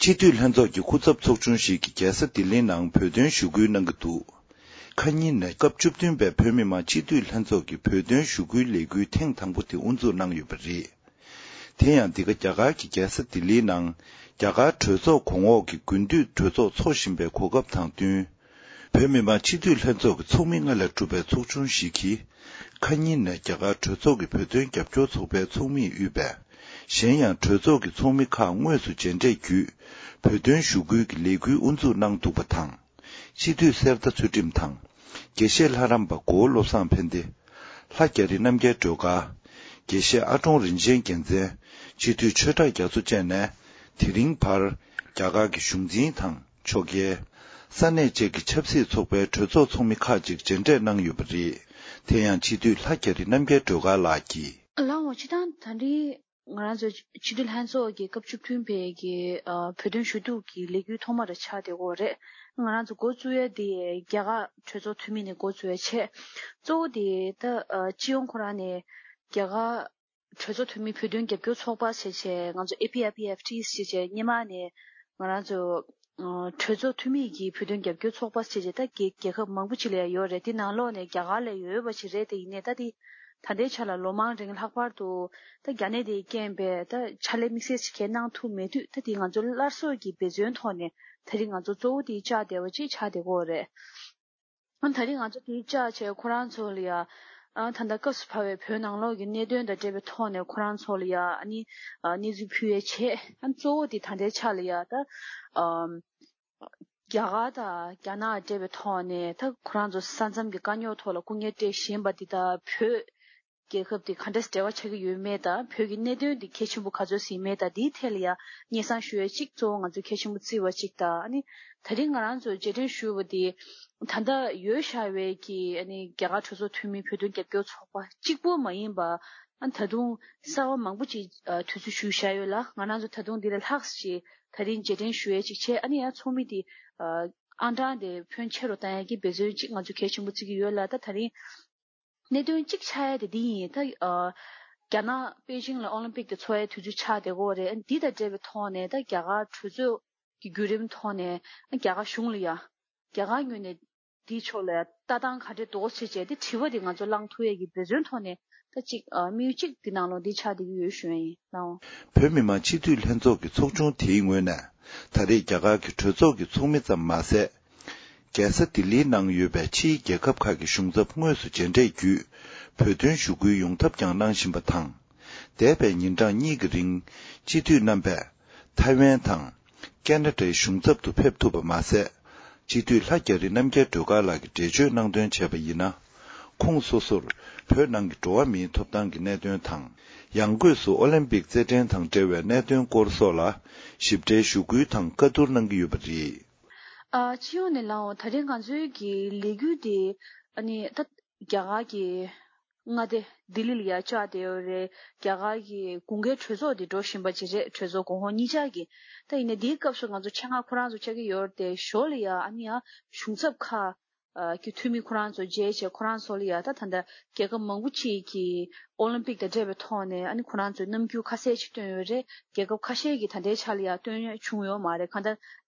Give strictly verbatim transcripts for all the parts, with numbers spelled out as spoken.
སྤྱི་འཐུས་ལྷན་ཚོགས་ཀྱི་སྐུ་ཚབ་ཚོགས་ཆུང་ཞིག་གིས་རྒྱལ་ས་ལྡི་ལིའི་ནང་བོད་དོན་ཞུ་སྐུལ་གནང་གི་འདུག་ཁ་ཉིན་ནས་སྐབས་བཅུ་བདུན་པའི་བོད་མི་མང་སྤྱི་འཐུས་ལྷན་ཚོགས་ཀྱི་བོད་དོན་ཞུ་སྐུལ་ལས་འགུལ་ཐེངས་དང་པོ་དེ་དབུ་འཛུགས་གནང་ཡོད་པ་རེད། དེ་ཡང་འདི་ག་རྒྱ་གར་གྱི་རྒྱལ་ས་ལྡི་ལིའི་ནང་རྒྱ་གར་གྲོས་ཚོགས་གོང་འོག་གི་དགུན་དུས་གྲོས་ཚོགས་འཚོགས་བཞིན་པའི་གོ་སྐབས་དང་བསྟུན། བོད་མི་མང་སྤྱི་འཐུས་ལྷན་ཚོགས་ཀྱི་ཚོགས་མི་ལྔ་ལས་གྲུབ་པའི་ཚོགས་ཆུང་ཞིག་གིས། ཁ་ཉིན་ནས་རྒྱ་གར་གྲོས་ཚོགས་ཀྱི་བོད་དོན་རྒྱབ་སྐྱོར་ཚོགས་པའི་ཚོགས་མིས་དབུས་པའི། གཞན་ཡང་གྲོས་ཚོགས་ཀྱི་ཚོགས་མི་ཁག་དངོས་སུ་མཇལ་འཕྲད་བརྒྱུད། བོད་དོན་ཞུ་སྐུལ་གྱི་ལས་འགུལ་དབུ་འཛུགས་གནང་འདུག་པ་དང་། སྤྱི་འཐུས་གསེར་རྟ་ཚུལ་ཁྲིམས་དང་། དགེ་བཤེས་ལྷ་རམས་པ་གོ་བོ་བློ་བཟང་ཕན་བདེ། ལྷ་རྒྱ་རི་རྣམ་རྒྱལ་སྒྲོལ་དཀར། དགེ་བཤེས་ཨ་ཀྲོང་རིན་ཆེན་རྒྱལ་མཚན། སྤྱི་འཐུས་ཆོས་གྲགས་རྒྱ་མཚོ་བཅས་ནས། དེ་རིང་བར། རྒྱ་གར་གྱི་གཞུང་འཛིན་དང་། ཕྱོགས་འགལ། ས་གནས་བཅས་ཀྱི་ཆབ་སྲིད་ཚོགས་པའི་གྲོས་ཚོགས་ཚོགས་མི་ཁག་ཅིག་མཇལ་འཕྲད་གནང་ཡོད་པ་རེད། དེ་ཡང་སྤྱི་འཐུས་ལྷ་རྒྱ་རི་རྣམ་རྒྱལ་སྒྲོལ་དཀར་ལགས་ཀྱིས། ལགས་འོང་། སྤྱི་བཏང་ད་རེས་ང་རང་ཚོ་སྤྱི་འཐུས་ལྷན་ཚོགས་ཀྱི་སྐབས་བཅུ་བདུན་པའི་གི་ཨ་བོད་དོན་ཞུ་གཏུག་གི་ལས་འགུལ་ཐོག་མ་རེ་ཆགས་བསྡད་ཡོད་རེད། ང་རང་ཚོ་འགོ་བཙུགས་ཡ་དེ་རྒྱ་གར་གྲོས་ཚོགས་འཐུས་མི་ནས་འགོ་བཙུགས་ཡ་བྱས། གཙོ་བོ་དེ་ད་ཨ་སྤྱི་ཡོངས་ཁོ་རང་ནས་རྒྱ་གར་གྲོས་ཚོགས་འཐུས་མི་བོད་དོན་རྒྱབ་སྐྱོར་ཚོགས་པ་ཞེས་བྱས། ང་ཚོ་ཨེ་ཕི་ཨེ་ཕི་ཨེཕ་ཊི་ཞེས་བྱས། སྔོན་མ་ནས་ང་རང་ཚོ་ཨ་གྲོས་ཚོགས་འཐུས་མི་གི་བོད་དོན་རྒྱབ་སྐྱོར་ཚོགས་པ་ཞེས་བྱས། ད་རྒྱལ་རྒྱལ་ཁབ་མང་པོ་ཅིག་ལ་ཡོད་རེད། དེ་ནང་ལོགས་ནས་རྒྱ་གར་ལ་ཡོད་པ་ཞིག་རེད། དེ་ཡིན་ནའི་ད་དེ་ད་ལྟའི་ཆ་ལ་ལོ་མང་རིང་ལྷག་པར་དུ་ད་རྒྱ་ནད་དེའི་རྐྱེན་པས་ད་ཕྱག་ལས་དམིགས་བསལ་ཞིག་གང་ཡང་གནང་ཐུབ་མེད་དུས། ད་དེ་ང་ཚོ་སླར་གསོ་གི་འབད་བརྩོན་ཐོག་ནས་ད་རེས་ང་ཚོ་གཙོ་བོ་དེ་བཅར་བསྡད་པ་ཅིག་ཆགས་བསྡད་ཀྱི་ཡོད་རེད། ཨ་ད་རེས་ང་ཚོ་དེ་བཅར་བྱས་ཁོ་རང་ཚོ་ལ་ཡ། ཨ་ད་ལྟ་སྐབས་སུ་བབས་པའི་བོད་ནང་ལོགས་ཀྱི་གནད་དོན་དང་འབྲེལ་བའི་ཐོག་ནས་ཁོ་རང་ཚོ་ལ་ཡ་ཨ་ནི་ཨ་གནས་ཚུལ་ཕུལ་ཡས་བྱས། ཨ་གཙོ་བོ་དེ་ད་ལྟའི་ཆ་ལ་ཡ་ད་ཨམ་རྒྱ་གར་དང་རྒྱ་ནག་འབྲེལ་བའི་ཐོག་ནས་ད་ཁོ་རང་ཚོ་ས་མཚམས་ཀྱི་དཀའ་རྙོག་ཐོག་ལ་སྐུ་ངལ་སྤྲད་བཞིན་པ་འདི་དང་། བོད་རྒྱལ་ཁབ་འདི་ག་འདྲས་འབྲེལ་བ་ཆགས་ཀྱི་ཡོད་མེད་དང་། བོད་ཀྱི་གནད་དོན་འདི་གལ་ཆེན་པོ་ག་ཚོད་ཡིན་མེད་དང་། འདིའི་ཐད་ལ་ཡང་སྙན་སེང་ཞུ་ཡས་གཅིག་གཙོ་བོ་ང་ཚོས་གལ་ཆེན་པོ་བརྩི་བ་གཅིག་དང་། ཨ་ནི་ད་རིང་ང་རང་ཚོ་རྗེས་དྲན་ཞུ་བ་འདི་ད་ལྟ་ཡོད་བཞག་པའི་གི་ཨ་ནི་རྒྱ་གར་གྲོས་ཚོགས་འཐུས་མི་བོད་དོན་རྒྱབ་སྐྱོར་ཚོགས་པ་གཅིག་པུ་མ་ཡིན་པ། ཨ་ད་དུང་གསར་པ་མང་པོ་ཅིག་ཨ་དུས་ཚོད་ཞུས་བཞག་ཡོད་ལ། ང་རང་ཚོ་ད་དུང་འདི་ལས་ལྷག་ཅིག་ད་རིང་རྗེས་དྲན་ཞུ་ཡས་ཅིག་བྱས། ཨ་ནི་ཡང་ཚོགས་མི་འདི་ཨ་ཨང་གྲངས་དེ་ཕོན་ཆེ་རུ་བཏང་ཡས་ཀྱི་འབད་བརྩོན་ཅིག་ང་ཚོ་གལ་ཆེན་པོ་བརྩི་གི་ཡོད་ལ། ད་ད་རིང་གནད་དོན་གཅིག་ཆགས་ཡ་དེ་འདི་ཡིན། ད་ཨ་རྒྱ་ནག་པེ་ཅིང་ལ་ཨོ་ལིམ་པིག་དེ་འཚོགས་ཡའི་དུས་ཚོད་ཆགས་བསྡད་ཀྱི་ཡོད་རེད། འདི་དང་འབྲེལ་བའི་ཐོག་ནས་ད་རྒྱ་གར་གྲོས་ཚོགས་ཀྱི་བརྒྱུད་རིམ་ཐོག་ནས་རྒྱ་གར་གཞུང་ལ་ཡ། རྒྱ་གར་ངོས་ནས་འདིའི་ཕྱོགས་ལ་ཡ་ལྟ་སྟངས་ག་འདྲས་འདུག་ཟེར་བྱས་དེ་དྲི་བ་དེ་ང་ཚོ་བསླང་ཐུབ་ཡས་ཀྱི་འབད་བརྩོན་ཐོག་ནས། ད་གཅིག་ཨ་དམིགས་ཡུལ་གཅིག་འདི་ནང་ལོགས་འདི་ཆགས་བསྡད་ཀྱི་ཡོད་ཞུ་ཡ་ཡིན། ལགས་འོང་། བོད་མི་མང་སྤྱི་འཐུས་ལྷན་ཚོགས་ཀྱི་ཚོགས་ཆུང་དེའི་ངོས་ནས། ད་རེས་རྒྱ་གར་གྱི་གྲོས་ཚོགས་ཀྱི་ཚོགས་མི་ཙམ་མ་ཟད། རྒྱལ་ས་ལྡི་ལིའི་ནང་ཡོད་པའི་ཕྱིའི་རྒྱལ་ཁབ་ཁག་གི་གཞུང་ཚབ་དངོས་སུ་མཇལ་འཕྲད་བརྒྱུད། བོད་དོན་ཞུ་སྐུལ་ཡོང་ཐབས་ཀྱང་གནང་བཞིན་པ་དང་། འདས་པའི་ཉིན་གྲངས་གཉིས་ཀྱི་རིང་། སྤྱི་འཐུས་རྣམ་པས་ཐའེ་ཝན་དང་། ཀེ་ན་ཌའི་གཞུང་ཚབ་ཏུ་ཕེབས་ཐུབ་པ་མ་ཟད། སྤྱི་འཐུས་ལྷ་རྒྱ་རི་རྣམ་རྒྱལ་སྒྲོལ་དཀར་ལགས་ཀྱིས་འགྲེལ་བརྗོད་གནང་དོན་བྱས་པ་ཡིན་ན། ཁོང་སོ་སོར་བོད་ནང་གི་འགྲོ་བ་མིའི་ཐོབ་ཐང་གི་གནད་དོན་དང་། ཡང་སྒོས་སུ་ཨོ་ལིམ་པིག་རྩེད་འགྲན་དང་འབྲེལ་བའི་གནད་དོན་སྐོར་སོགས་ལ་ཞིབ་ཕྲའི་ཞུ་སྐུལ་དང་བཀའ་བསྡུར་གནང་གི་ཡོད་པ་རེད། ཨ་སྤྱི་ཡོངས་ནས་ལགས་འོང་། ད་རེས་ང་ཚོའི་གི་ལས་འགུལ་དེ་ཨ་ནི་ད་རྒྱ་གར་གྱི་མངའ་སྡེ་ལྡི་ལི་ལ་ཡ་བཅར་བསྡད་ཡོད་རེད། རྒྱ་གར་གྱི་དགུན་ཁའི་གྲོས་ཚོགས་དེ་འགྲོ་བཞིན་པ་ཅིག་རེད། གྲོས་ཚོགས་གོང་འོག་གཉིས་ཆར་གྱི། ད་ཡིན་ནའི་འདིའི་སྐབས་སུ་ང་ཚོ་ཆེད་མངགས་ཁོ་རང་ཚོ་བཅར་གྱི་ཡོད་རེད་དེ། ཞོར་ལ་ཡ་ཨ་ནི་ཡ་གཞུང་ཚབ་ཁག་ཨ་གི་འཐུས་མི་ཁོ་རང་ཚོ་མཇལ་བྱས། ཁོ་རང་ཚོ་ལ་ཡ་ད་ད་ལྟ་རྒྱལ་ཁབ་མང་པོ་ཅིག་གི་ཨོ་ལིམ་པིག་དང་འབྲེལ་བའི་ཐོག་ནས་ཨ་ནི་ཁོ་རང་ཚོས་རྣམ་འགྱུར་ཁ་གསལ་ཅིག་བཏོན་ཡོད་རེད། རྒྱལ་ཁབ་ཁ་ཤས་ཀྱིས་ད་ལྟའི་ཆ་ལ་ཡ་བཏོན་ཡ་བྱུང་ཡོད་མ་རེད། གང་ལྟར་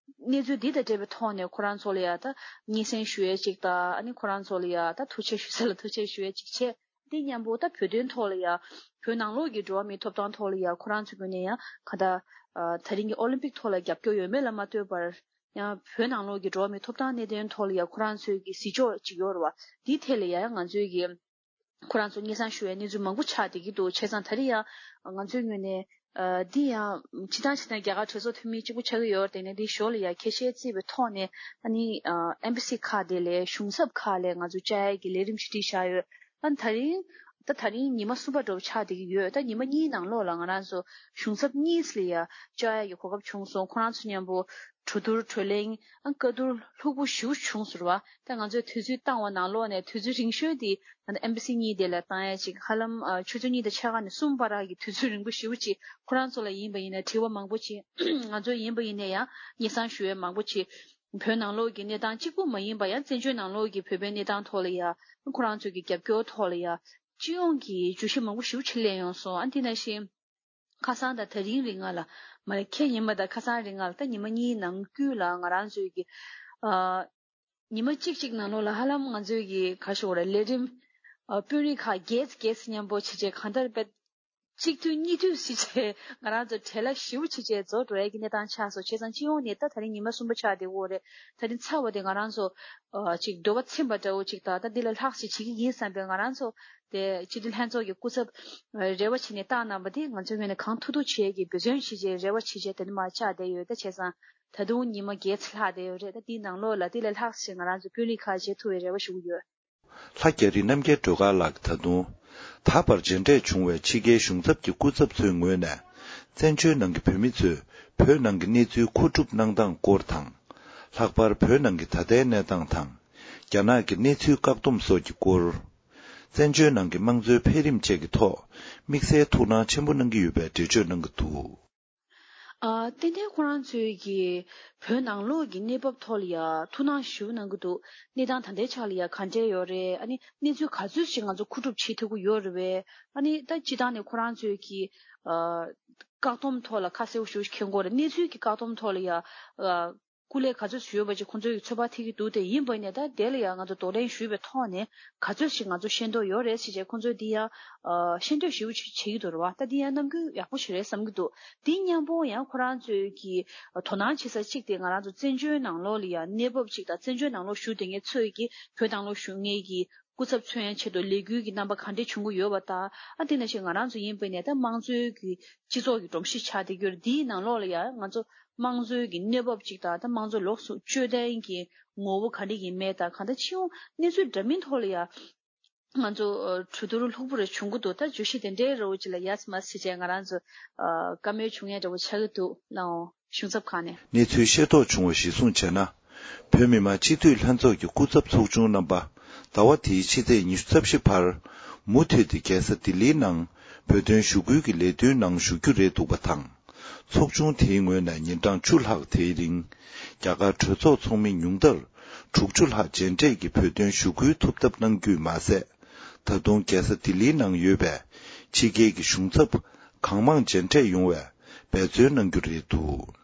གནས་ཚུལ་འདི་དང་འབྲེལ་བའི་ཐོག་ནས་ཁོ་རང་ཚོ་ལ་ཡ་ད་སྙན་སེང་ཞུ་ཡས་ཅིག་དང་། ཨ་ནི་ཁོ་རང་ཚོ་ལ་ཡ་ད་ཐུགས་རྗེ་ཆེ་ཞུ་ས་ལ་ཐུགས་རྗེ་ཆེ་ཞུ་ཡས་ཅིག་བྱས། དེ་མཉམ་པོ་ད་བོད་དོན་ཐོག་ལ་ཡ། བོད་ནང་ལོགས་ཀྱི་འགྲོ་བ་མིའི་ཐོབ་ཐང་ཐོག་ལ་ཡ་ཁོ་རང་ཚོའི་ངོས་ནས་ཡང་གང་ལྟར་ཨ་ད་རིང་གི་ཨོ་ལིམ་པིག་ཐོག་ལ་རྒྱབ་སྐྱོར་ཡོད་མེད་ལ་མ་ལྟོས་པར། ཡང་བོད་ནང་ལོགས་ཀྱི་འགྲོ་བ་མིའི་ཐོབ་ཐང་གནད་དོན་ཐོག་ལ་ཡ་ཁོ་རང་ཚོའི་གི་གཟིགས་ཕྱོགས་ཅིག་ཡོད་རེད་བ། འདིའི་ཐད་ལ་ཡ་ཡང་ང་ཚོའི་གི་ཁོ་རང་ཚོ་སྙན་སེང་ཞུ་བའི་གནས་ཚུལ་མང་པོ་ཆགས་བསྡད་ཀྱི་འདུག་བྱས་ཙང་ད་རེས་ཡང་ང་ཚོའི་ངོས་ནས་ཨ་འདི་ཡང་སྤྱིར་བཏང་བྱས་ན་རྒྱ་གར་གྲོས་ཚོགས་འཐུས་མི་གཅིག་པུ་ཆགས་ཀྱི་ཡོད་རེད་དེ། ནས་འདི་ཞོར་ལ་ཡ་ཁྱད་ཆོས་བརྩིས་པའི་ཐོག་ནས་ཨ་ནི་ཨ་ཨེམ་བྷ་སི་ཁག་དེ་ལས། གཞུང་ཚབ་ཁག་ལས་ང་ཚོ་བཅར་ཡས་ཀྱི་ལས་རིམ་ཞིག་བསྒྲིགས་བཞག་ཡོད། ཨ་ད་རིང་། ད་ད་རིང་ཉི་མ་གསུམ་པ་འདྲ་བོ་ཆགས་བསྡད་ཀྱི་ཡོད། ད་ཉི་མ་གཉིས་ནང་ལོགས་ལ་ང་རང་ཚོ་གཞུང་ཚབ་གཉིས་ལ་ཡ་བཅར་ཡ་གི་གོ་སྐབས་བྱུང་སོང་། ཁོ་རང་ཚོ་མཉམ་པོ་གྲོས་བསྡུར་གྲོས་གླེང་། ཨ་བཀའ་བསྡུར་ལྷུག་པོ་ཞེ་པོ་བྱུང་ཟེར་བ། ད་ང་ཚོས་དུས་ཚོད་བཏང་བ་ནང་ལོགས་ནས་དུས་ཚོད་རིང་ཤོས་དེ་ད་ཨེམ་བྷ་སི་གཉིས་དེ་ལ་བཏང་ཡ་ཅིག་ཧ་ལམ་ཨ་ཆུ་ཚོད་གཉིས་དང་ཕྱེད་ཀ་ནས་གསུམ་བར་གྱི་དུས་ཚོད་རིང་པོ་ཞེ་པོ་ཅིག་ཁོ་རང་ཚོ་ལ་ཡིན་པ་ཡིན་ན་དྲི་བ་མང་པོ་ཅིག་ང་ཚོ་ཡིན་པ་ཡིན་ན་ཡང་སྙན་སེང་ཞུ་ཡ་མང་པོ་ཅིག་བོད་ནང་ལོགས་ཀྱི་གནས་སྟངས་གཅིག་པུ་མ་ཡིན་པ། ཡང་བཙན་བྱོལ་ནང་ལོགས་ཀྱི་བོད་པའི་གནས་སྟངས་ཐོག་ལ་ཡ། ཁོ་རང་ཚོ་གི་རྒྱབ་སྐྱོར་ཐོག་ལ་ཡ། སྤྱི་ཡོངས་ཀྱི་བརྗོད་གཞི་མང་པོ་ཞེ་པོ་ཅིག་གླེང་ཡོང་སོང་། ཨ་འདི་ནང་བཞིན་ ཁ་སང་དང་དེ་རིང་རིང་ང་ལ་མ་རེད། ཁེ་ཉི་མ་དང་ཁ་སང་རིང་ང་ལ་ད་ཉི་མ་གཉིས་ནང་ཁུལ་ལ་ང་རང་ཚོའི་གི་ཨ། ཉི་མ་གཅིག་གཅིག་ནང་ལོགས་ལ་ཧ་ལམ་ང་ཚོའི་གི་ག་ཞོག་རེད། ལས་རིམ་ཨ། དཔོན་རིགས་ཁག་བརྒྱད་བརྒྱད་མཉམ་པོ་བྱས་བྱས་གང་ལྟར་དཔེ་གཅིག་དུས་གཉིས་དུས་ཞིག་བྱས་ང་རང་ཚོ་བྲེལ་བ་ཞེ་པོ་བྱས་བྱས་རྫོགས་འགྲོ་ཡ་གི་གནས་སྟངས་ཆགས་སོང་། བྱས་ཙང་སྤྱི་ཡོངས་ནས་ད་ད་རིང་ཉི་མ་གསུམ་པ་ཆགས་བསྡད་ཡོད་རེད། ད་རིང་ཚར་བ་དེ་ང་རང་ཚོ་ཨ། ཅིག་འདོད་པ་ཚིམ་པ་འདྲ་བོ་ཅིག་དང་ད་འདི་ལས་ལྷག་ཞིག་བྱེད་ཀྱི་ཡིན་བསམ་པའི་ང་རང་ཚོ་དེ་སྤྱི་འཐུས་ལྷན་ཚོགས་ཀྱི་སྐུ་ཚབ་རེ་བ་བྱས་ནས་བཏང་གནང་པ་དེ་ང་ཚོའི་ངོས་ནས་གང་ཐུབ་ཐུབ་བྱེད་ཀྱི་འབད་བརྩོན་བྱེད་ཀྱི་རེ་བ་བྱེད་ཀྱི་དེ་འདྲ་མ་ཆགས་བསྡད་ཡོད། ད་བྱས་ཙང་ད་དུང་ཉི་མ་བརྒྱད་ཙམ་ལྷག་བསྡད་ཡོད་རེད། ད་དེའི་ནང་ལོགས་ལ་དེ་ལས་ལྷག་ཞིག་ང་རང་ཚོ་དཔོན་རིགས་ཁག་བྱེད་ཐུབ་པའི་རེ་བ་ཞུ་གི་ཡོད། ལྷ་རྒྱ་རི་རྣམ་རྒྱལ་སྒྲོལ་དཀར་ལགས་ཀྱིས་ད་དུང་། ད་བར་མཇལ་འཕྲད་བྱུང་བའི་ཕྱི་རྒྱལ་གཞུང་ཚབ་ཀྱི་སྐུ་ཚབ་ཚོའི་ངོས་ནས། བཙན་བྱོལ་ནང་གི་བོད་མི་ཚོས་བོད་ནང་གི་གནས་ཚུལ་མཁོ་སྒྲུབ་གནང་སྟངས་སྐོར་དང་། ལྷག་པར་བོད་ནང་གི་ད་ལྟའི་གནས་སྟངས་དང་། རྒྱ་ནག་གི་གནས་ཚུལ་བཀག་སྡོམ་སོགས་ཀྱི་སྐོར། བཙན་བྱོལ་ནང་གི་དམངས་གཙོའི་འཕེལ་རིམ་བཅས་ཀྱི་ཐོག་དམིགས་བསལ་ཐུགས་སྣང་ཆེན་པོ་གནང་གི་ཡོད་པའི་འགྲེལ་བརྗོད་གནང་གི་འདུག། ཨ། ཏན་ཏན་ཁོ་རང་ཚོའི་གི་བོད་ནང་ལོགས་ཀྱི་གནས་བབ་ཐོག་ལ་ཡ་ཐུགས་སྣང་ཞེ་པོ་གནང་གི་འདུག། གནས་སྟངས་ད་ལྟའི་ཆ་ལ་ཡ་ག་འདྲས་ཡོད་རེད། ཨ་ནི་གནས་ཚུལ་ག་ཚོད་ཞིག་ང་ཚོ་མཁོ་སྒྲུབ་བྱེད་ཐུབ་ཀྱི་ཡོད་རེད་པས། ཨ་ནི་ད་སྤྱིར་བཏང་ནས་ཁོ་རང་ཚོའི་གི་ཨ། བཀག་སྡོམ་ཐོག་ལ་ཁ་གསལ་པོ་ཞེ་པོ་ཞིག་འཁྱེར་དགོས་རེད། གནས་ཚུལ་གྱི་བཀག་སྡོམ་ཐོག་ལ་ཡ་ཨ། སྐུ་ལས་ག་ཚོད་ཞུས་པ་ཅིག་ཁོང་ཚོས་ཚོད་དཔག་ཐིག་གི་འདུག་སྟེ། ཡིན་པ་ནས་ད་དེ་ལ་ཡང་ང་ཚོ་གདོང་ལེན་ཞུས་པའི་ཐོག་ནས་ག་ཚོད་ཞིག་ང་ཚོ་ཤེས་རྟོགས་ཡོད་རེད་ཟེར་བྱས་ཁོང་ཚོས་འདི་ཡང་ཤེས་འདོད་ཞེ་པོ་ཅིག་བྱེད་ཀྱི་འདུག་རེད་བ། ད་འདི་ཡང་རྣམ་འགྱུར་ཡག་པོ་ཞིག་རེད་བསམ་གྱི་འདུག། འདི་མཉམ་པོ་ཡང་ཁོ་རང་ཚོས་ཀྱི་དོ་སྣང་བྱེད་ས་གཅིག་དེ་ང་རང་ཚོ་བཙན་བྱོལ་ནང་ལོགས་ལ་ཡང་གནས་བབ་ཅིག་དང་། བཙན་བྱོལ་ནང་ལོགས་བཞུགས་བསྡད་མཁན་ཚོས་ཀྱི་བོད་ནང་ལོགས་བཞུགས་མཁན་གྱི་སྐུ་ཚབ་མཚོན་ཡང་ཆེད་དུ་ལས་འགུལ་གྱི་རྣམ་པ་ག་འདྲས་བྱུང་གི་ཡོད་པ་དང་། ཨ་དེ་ནང་བཞིན་ང་རང་ཚོ་ཡིན་པ་ནས་ད་དམངས་གཙོའི་གི་སྤྱི་ཚོགས་ཀྱི་སྒྲོམ་གཞི་ཆགས་བསྡད་ཀྱི་ཡོད་རེད། འདིའི་ནང་ལོགས་ལ་ཡང་ང་ཚོ་དམངས་གཙོའི་གི་གནས་བབ་ཅིག་དང་། ད་དམངས་གཙོ་ལོགས་སུ་སྤྱོད་བསྟན་གྱི་ངོ་བོ་ག་འདྲ་ཡིན་མེད་དང་། གང་ལྟར་སྤྱི་ཡོངས་གནས་ཚུལ་འདྲ་མིན་ཐོག་ལ་ཡང་ང་ཚོ་ཨ། གྲོས་བསྡུར་ལྷུག་པོ་རེ་བྱུང་གི་འདུག། ད་བརྗོད་གཞི་དེ་འདྲའི་རོ་ཅིག་ལ་ཡ་ཙི་མ་ཟེར་བྱས་ང་རང་ཚོ་ཨ། བཀའ་མོལ་བྱུང་ཡ་འདྲ་བོ་ཆགས་ཀྱི་འདུག་ལགས། གཞུང་ཚབ་ཁང་ནས། གནས་ཚུལ་ཤེས་རྟོགས་བྱུང་བ་གཞིར་བཟུང་བྱས་ན། བོད་མི་མང་སྤྱི་འཐུས་ལྷན་ཚོགས་ཀྱི་སྐུ་ཚབ་ཚོགས་ཆུང་རྣམ་པ། ཟླ་བ་འདིའི་ཕྱི་ཚེས་ཉི་ཤུ་རྩ་བཞི་བར། མུ་མཐུད་དེ་རྒྱལ་ས་ལྡི་ལིའི་ནང་བོད་དོན་ཞུ་སྐུལ་གྱི་ལས་དོན་ནང་ཞུགས་རྒྱུ་རེད་འདུག་པ་དང་། ཚོགས་ཆུང་དེའི་ངོས་ནས་ཉིན་གྲངས་བཅུ་ལྷག་དེའི་རིང་། རྒྱ་གར་གྲོས་ཚོགས་ཚོགས་མི་ཉུང་མཐར་དྲུག་ཅུ་ལྷག་མཇལ་འཕྲད་ཀྱིས་བོད་དོན་ཞུ་སྐུལ་ཐུབ་ཐབས་གནང་རྒྱུས་མ་ཟད། ད་དུང་རྒྱལ་ས་ལྡི་ལིའི་ནང་ཡོད་པའི་ཕྱི་རྒྱལ་གྱི་གཞུང་ཚབ་གང་མང་མཇལ་འཕྲད་ཡོང་བའི་འབད་བརྩོན་གནང་རྒྱུ་རེད་འདུག།